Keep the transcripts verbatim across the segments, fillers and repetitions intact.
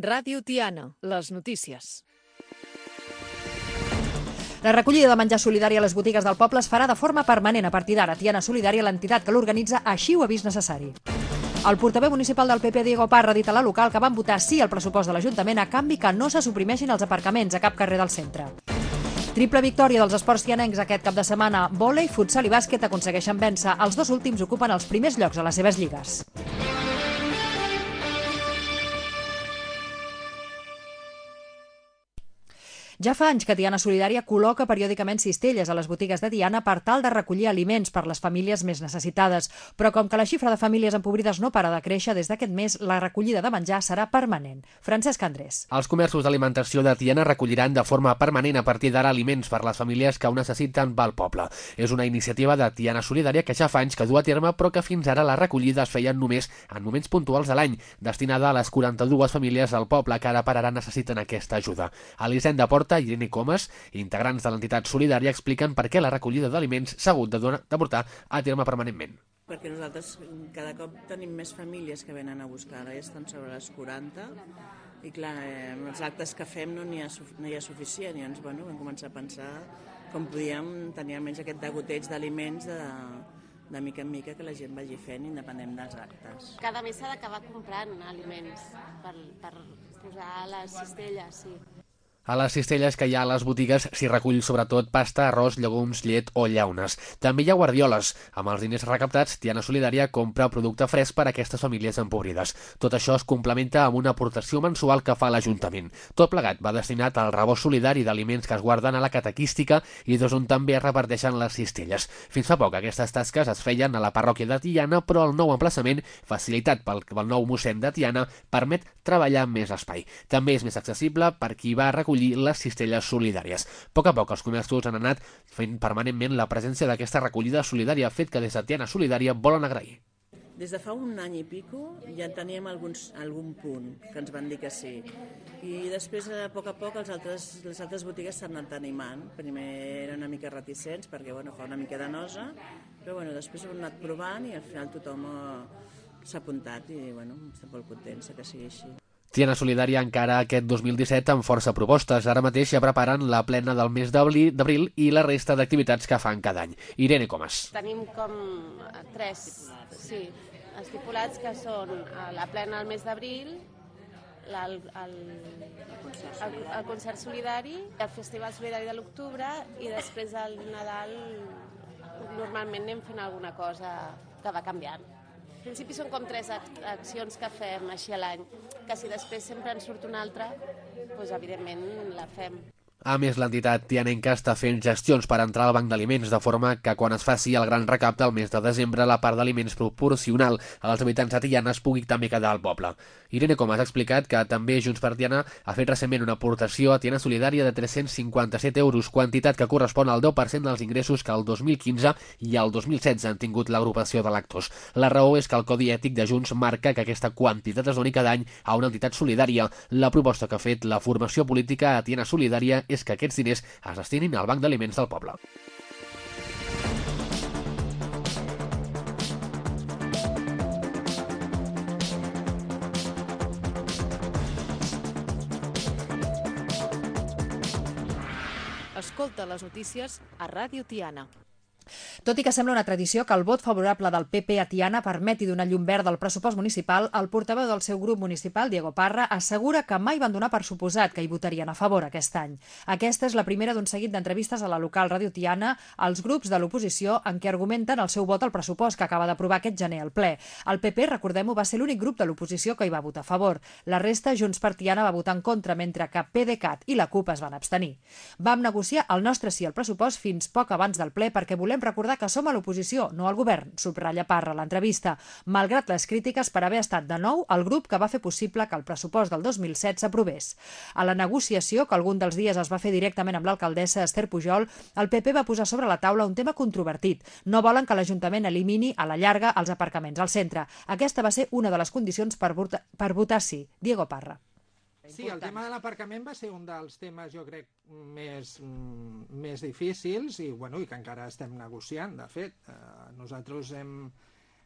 Ràdio Tiana, les notícies. La recollida de menjar solidari a les botigues del poble es farà de forma permanent a partir d'ara. Tiana Solidària, l'entitat que l'organitza, així ho ha vist necessari. El portaveu municipal del P P, Diego Parra, ha dit a la local que van votar sí al pressupost de l'Ajuntament a canvi que no se suprimeixin els aparcaments a cap carrer del centre. Triple victòria dels esports tianencs aquest cap de setmana. Vòlei, futsal i bàsquet aconsegueixen vèncer. Els dos últims ocupen els primers llocs a les seves lligues. Ja fa anys que Tiana Solidària col·loca periòdicament cistelles a les botigues de Tiana per tal de recollir aliments per les famílies més necessitades. Però com que la xifra de famílies empobrides no para de créixer, des d'aquest mes la recollida de menjar serà permanent. Francesc Andrés. Els comerços d'alimentació de Tiana recolliran de forma permanent a partir d'ara aliments per les famílies que ho necessiten pel poble. És una iniciativa de Tiana Solidària que ja fa anys que du a terme, però que fins ara la recollida es feia només en moments puntuals de l'any, destinada a les quaranta-dues famílies del poble que ara per ara necessiten aquesta ajuda. Elisenda Porta i Irene Comas, integrants de l'entitat solidària, expliquen per què la recollida d'aliments s'ha hagut de, donar, de portar a terme permanentment. Perquè nosaltres cada cop tenim més famílies que venen a buscar, ara ja estan sobre les quaranta, i clar, eh, amb els actes que fem no n'hi ha, no hi ha suficient, i llavors bueno, vam començar a pensar com podíem tenir almenys aquest degoteig d'aliments de, de mica en mica que la gent vagi fent independent dels actes. Cada mes s'ha d'acabar comprant aliments per, per posar a les cistelles, sí. A les cistelles que hi ha a les botigues s'hi recull sobretot pasta, arròs, llegums, llet o llaunes. També hi ha guardioles. Amb els diners recaptats, Tiana Solidària compra producte fresc per a aquestes famílies empobrides. Tot això es complementa amb una aportació mensual que fa l'Ajuntament. Tot plegat va destinat al rebost solidari d'aliments que es guarden a la catequística i des on també es reparteixen les cistelles. Fins fa poc aquestes tasques es feien a la parròquia de Tiana, però el nou emplaçament, facilitat pel, pel nou mossèn de Tiana, permet treballar amb més espai. També és més accessible per qui va recollir les cistelles solidàries. A poc a poc els comerços han anat fent permanentment la presència d'aquesta recollida solidària, fet que des de Tiana Solidària volen agrair. Des de fa un any i pico ja teníem alguns, algun punt que ens van dir que sí. I després, a poc a poc, els altres, les altres botigues s'han anat animant. Primer eren una mica reticents perquè bueno, fa una mica de nosa, però bueno, després ho hem anat provant i al final tothom s'ha apuntat i bueno, estem molt contents que sigui així. Tiana Solidària encara aquest dos mil disset amb força propostes. Ara mateix ja preparen la plena del mes d'abril i la resta d'activitats que fan cada any. Irene Comas. Tenim com tres, sí, estipulats que són la plena al mes d'abril, el, el, el, el concert solidari, el festival solidari de l'octubre i després el Nadal normalment anem fent alguna cosa que va canviant. En principi són com tres accions que fem així a l'any, que si després sempre en surt una altra, doncs evidentment la fem. A més, l'entitat tianenca està fent gestions per entrar al banc d'aliments, de forma que quan es faci el gran recapte al mes de desembre, la part d'aliments proporcional als habitants de Tiana es pugui també quedar al poble. Irene Comas ha explicat que també Junts per Tiana ha fet recentment una aportació a Tiana Solidària de tres-cents cinquanta-set euros, quantitat que correspon al deu per cent dels ingressos que el dos mil quinze i el dos mil setze han tingut l'agrupació de lectors. La raó és que el Codi Ètic de Junts marca que aquesta quantitat es doni cada any a una entitat solidària. La proposta que ha fet la formació política a Tiana Solidària és que aquests diners es destinin al banc d'aliments del poble. Escolta les notícies a Ràdio Tiana. Tot i que sembla una tradició que el vot favorable del P P a Tiana permeti donar llum verda al pressupost municipal, el portaveu del seu grup municipal, Diego Parra, assegura que mai van donar per suposat que hi votarien a favor aquest any. Aquesta és la primera d'un seguit d'entrevistes a la local Ràdio Tiana als grups de l'oposició en què argumenten el seu vot al pressupost que acaba d'aprovar aquest gener al ple. El P P, recordem-ho, va ser l'únic grup de l'oposició que hi va votar a favor. La resta, Junts per Tiana, va votar en contra, mentre que PDeCAT i la CUP es van abstenir. Vam negociar el nostre sí al pressupost fins poc abans del ple perquè volem recordar que som a l'oposició, no al govern, subratlla Parra a l'entrevista, malgrat les crítiques per haver estat de nou el grup que va fer possible que el pressupost del dos mil set s'aprovés. A la negociació, que algun dels dies es va fer directament amb l'alcaldessa Esther Pujol, el P P va posar sobre la taula un tema controvertit. No volen que l'Ajuntament elimini a la llarga els aparcaments al centre. Aquesta va ser una de les condicions per votar, per votar sí. Diego Parra. Sí, el tema de l'aparcament va ser un dels temes, jo crec, més, més difícils i, bueno, i que encara estem negociant. De fet, eh, nosaltres hem,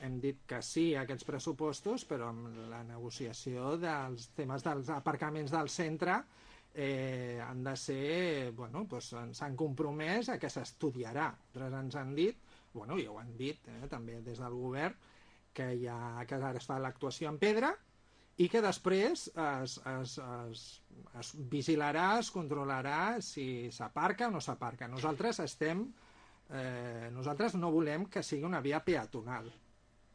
hem dit que sí a aquests pressupostos, però amb la negociació dels temes dels aparcaments del centre eh, han de ser, bueno, doncs s'han compromès a que s'estudiarà. Altres ens han dit, bueno, ja ho han dit eh, també des del govern, que, hi ha, que ara es fa l'actuació en pedra i que després es, es, es, es vigilarà, es controlarà si s'aparca o no s'aparca. Nosaltres estem, eh, nosaltres no volem que sigui una via peatonal.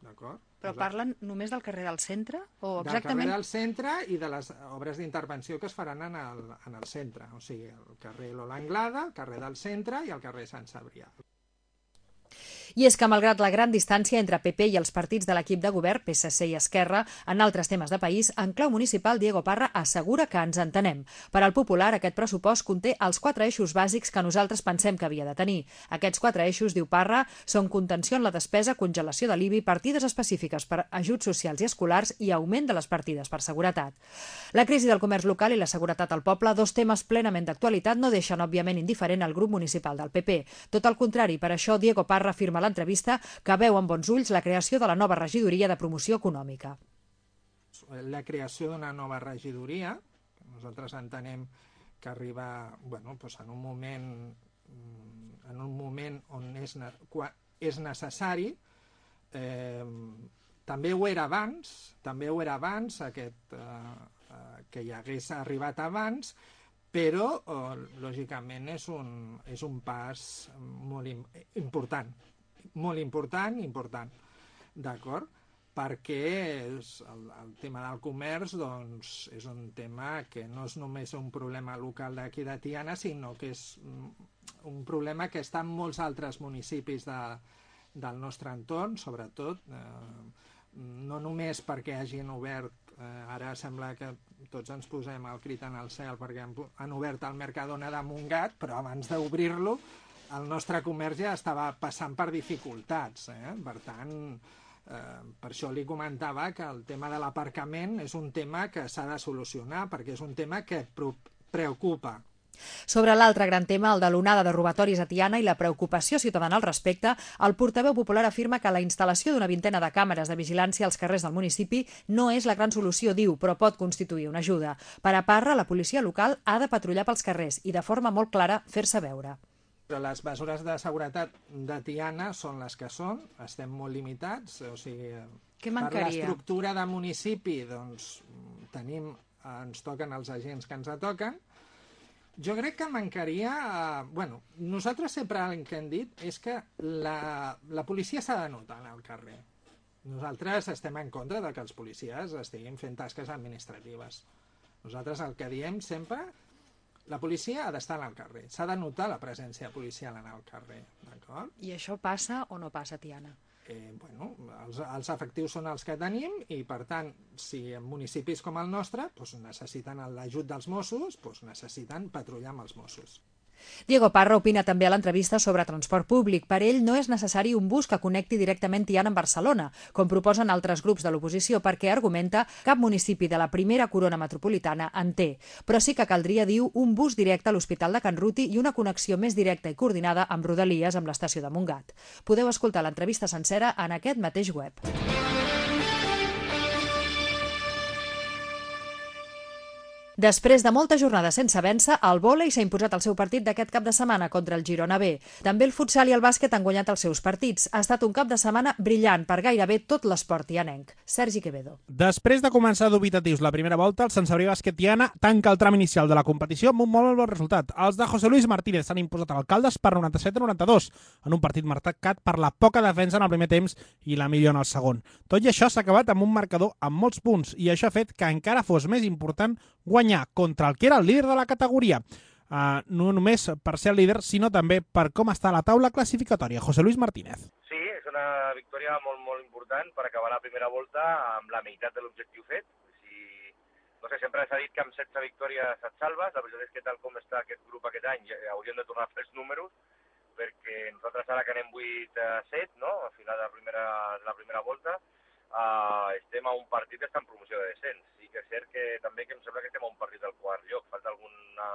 D'acord? Però parlen només del carrer del centre? O del exactament... carrer del centre i de les obres d'intervenció que es faran en el, en el centre. O sigui, el carrer Lola Anglada, el carrer del centre i el carrer Sant Cebrià. I és que, malgrat la gran distància entre P P i els partits de l'equip de govern, P S C i Esquerra, en altres temes de país, en clau municipal, Diego Parra assegura que ens entenem. Per al Popular, aquest pressupost conté els quatre eixos bàsics que nosaltres pensem que havia de tenir. Aquests quatre eixos, diu Parra, són contenció en la despesa, congelació de l'I B I, partides específiques per ajuts socials i escolars i augment de les partides per seguretat. La crisi del comerç local i la seguretat al poble, dos temes plenament d'actualitat, no deixen, òbviament, indiferent al grup municipal del P P. Tot el contrari, per això Diego Parra afirma a l'entrevista que veu amb bons ulls la creació de la nova regidoria de promoció econòmica. La creació d'una nova regidoria, que nosaltres entenem que arriba bueno, doncs en un moment en un moment on és, és necessari, eh, també ho era abans, també ho era abans, aquest, eh, que hi hagués arribat abans, però, eh, lògicament, és un, és un pas molt important, molt important, important, d'acord? Perquè és el, el tema del comerç doncs, és un tema que no és només un problema local d'aquí de Tiana, sinó que és un problema que està en molts altres municipis de, del nostre entorn, sobretot, eh, no només perquè hagin obert, eh, ara sembla que tots ens posem el crit en el cel perquè han, han obert el Mercadona de Montgat, però abans d'obrir-lo el nostre comerç ja estava passant per dificultats, eh? Per tant, eh, per això li comentava que el tema de l'aparcament és un tema que s'ha de solucionar, perquè és un tema que preocupa. Sobre l'altre gran tema, el de l'onada de robatoris a Tiana i la preocupació ciutadana al respecte, el portaveu popular afirma que la instal·lació d'una vintena de càmeres de vigilància als carrers del municipi no és la gran solució, diu, però pot constituir una ajuda. Per a Parra, la policia local ha de patrullar pels carrers i, de forma molt clara, fer-se veure. Però les mesures de seguretat de Tiana són les que són, estem molt limitats, o sigui, Què mancaria? Per l'estructura de municipi, doncs, tenim, ens toquen els agents que ens toquen. Jo crec que mancaria... Eh, bueno, nosaltres sempre el que hem dit és que la, la policia s'ha de notar al carrer. Nosaltres estem en contra de que els policies estiguin fent tasques administratives. Nosaltres el que diem sempre... La policia ha d'estar al carrer, s'ha de notar la presència policial en el carrer, d'acord? I això passa o no passa, Tiana? Eh, bueno, els, els efectius són els que tenim i, per tant, si en municipis com el nostre doncs necessiten l'ajut dels Mossos, doncs necessiten patrullar amb els Mossos. Diego Parra opina també a l'entrevista sobre transport públic. Per ell no és necessari un bus que connecti directament Tiana amb Barcelona, com proposen altres grups de l'oposició, perquè, argumenta, cap municipi de la primera corona metropolitana en té. Però sí que caldria, diu, un bus directe a l'Hospital de Can Ruti i una connexió més directa i coordinada amb Rodalies amb l'estació de Montgat. Podeu escoltar l'entrevista sencera en aquest mateix web. Després de moltes jornades sense vèncer, el vòlei s'ha imposat el seu partit d'aquest cap de setmana contra el Girona B. També el futsal i el bàsquet han guanyat els seus partits. Ha estat un cap de setmana brillant per gairebé tot l'esport tianenc. Sergi Quevedo. Després de començar dubitatius la primera volta, el Sant Cebrià Bàsquet Tiana tanca el tram inicial de la competició amb un molt bon resultat. Els de José Luis Martínez s'han imposat a l'Alcaldes per noranta-set a noranta-dos, en un partit marcat per la poca defensa en el primer temps i la millor en el segon. Tot i això s'ha acabat amb un marcador amb molts punts i això ha fet que encara fos més important guanyar contra el que era el líder de la categoria. Uh, no només per ser el líder, sinó també per com està la taula classificatòria. José Luis Martínez. Sí, és una victòria molt, molt important per acabar la primera volta amb la meitat de l'objectiu fet. Si, no sé, sempre s'ha dit que amb setze victòries et salves. La veritat és que tal com està aquest grup aquest any hauríem de tornar a fer els números, perquè nosaltres ara que anem vuit a set, no? Al final de la primera, de la primera volta, Uh, estem a un partit d'estar en promoció de descens. Sí que és cert que també que em sembla que estem a un partit del quart lloc, falta alguna,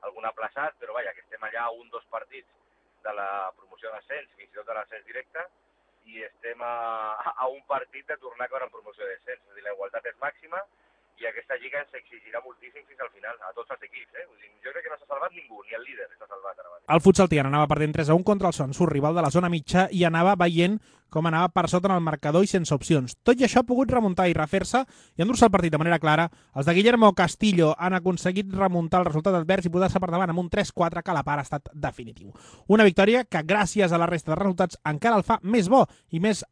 algun aplaçat, però vaja, que estem allà a un dos partits de la promoció de descens, fins i tot de l'ascens directe, i estem a, a un partit de tornar a caure en promoció de descens. És a dir, la igualtat és màxima i aquesta lliga ens exigirà moltíssim fins al final, a tots els equips. Eh? Vull dir, jo crec que no s'ha salvat ningú, ni el líder s'ha salvat ara mateix. El futsal Tiana anava perdent tres a un contra el Sonso, rival de la zona mitja, i anava veient com anava per sota en el marcador i sense opcions. Tot i això ha pogut remuntar i refer-se i endur-se el partit de manera clara. Els de Guillermo Castillo han aconseguit remuntar el resultat advers i posar-se per davant amb un tres quatre que a la part ha estat definitiu. Una victòria que, gràcies a la resta de resultats, encara el fa més bo i més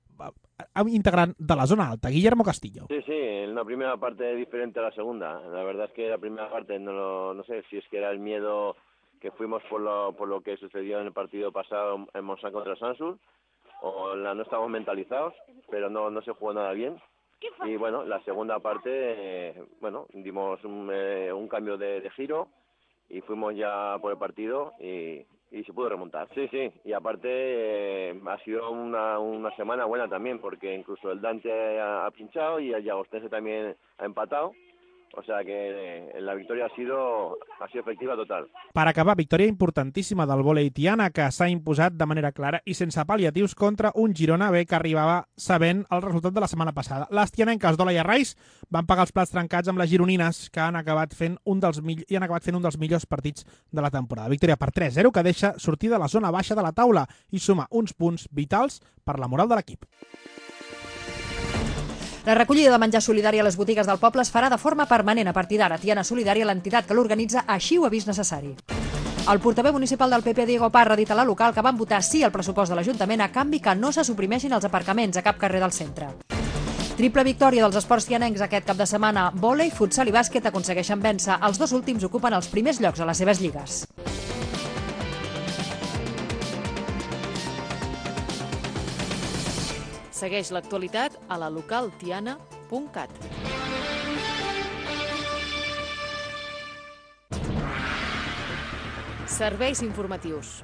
integrant de la zona alta. Guillermo Castillo. Sí, sí, una primera parte diferente a la segunda. La verdad es que la primera parte, no, lo, no sé si es que era el miedo que fuimos por lo, por lo que sucedió en el partido pasado en Montsant contra Sansul, o la, no estábamos mentalizados, pero no, no se jugó nada bien. Y bueno, la segunda parte, eh, bueno, dimos un, eh, un cambio de, de giro y fuimos ya por el partido y, y se pudo remontar. Sí, sí, y aparte eh, ha sido una, una semana buena también, porque incluso el Dante ha, ha pinchado y el Llagostense también ha empatado. O sea que eh, la victòria ha sido, ha sido efectiva total. Per acabar, victòria importantíssima del vòlei Tiana, que s'ha imposat de manera clara i sense pal·liatius contra un Girona B que arribava sabent el resultat de la setmana passada. Les tianenques d'Ola i Arraiz van pagar els plats trencats amb les gironines, que han acabat fent un dels mill... i han acabat fent un dels millors partits de la temporada. Victòria per tres zero que deixa sortir de la zona baixa de la taula i suma uns punts vitals per la moral de l'equip. La recollida de menjar solidari a les botigues del poble es farà de forma permanent a partir d'ara. Tiana Solidària, l'entitat que l'organitza, així ho ha vist necessari. El portaveu municipal del P P, Diego Parra, ha dit a la local que van votar sí al pressupost de l'Ajuntament a canvi que no se suprimeixin els aparcaments a cap carrer del centre. Triple victòria dels esports tianencs aquest cap de setmana. Vòlei, futsal i bàsquet aconsegueixen vèncer. Els dos últims ocupen els primers llocs a les seves lligues. Segueix l'actualitat a la local tiana punt cat. Serveis informatius.